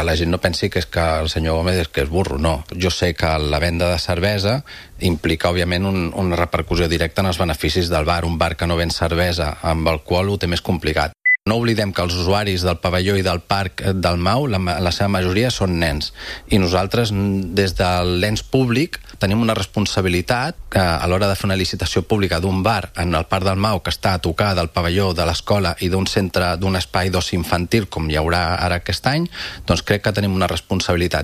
La gent no pensi que és que el senyor Gómez és que és burro, no. Jo sé que la venda de cervesa implica, òbviament, una repercussió directa en els beneficis del bar. Un bar que no ven cervesa amb alcohol ho té més complicat. No oblidem que els usuaris del pavelló i del parc del Mau, la seva majoria són nens. I nosaltres, des de l'ens públic, tenim una responsabilitat que a l'hora de fer una licitació pública d'un bar en el parc del Mau que està a tocar del pavelló de l'escola i d'un centre, d'un espai d'oci infantil com hi haurà ara aquest any, doncs crec que tenim una responsabilitat.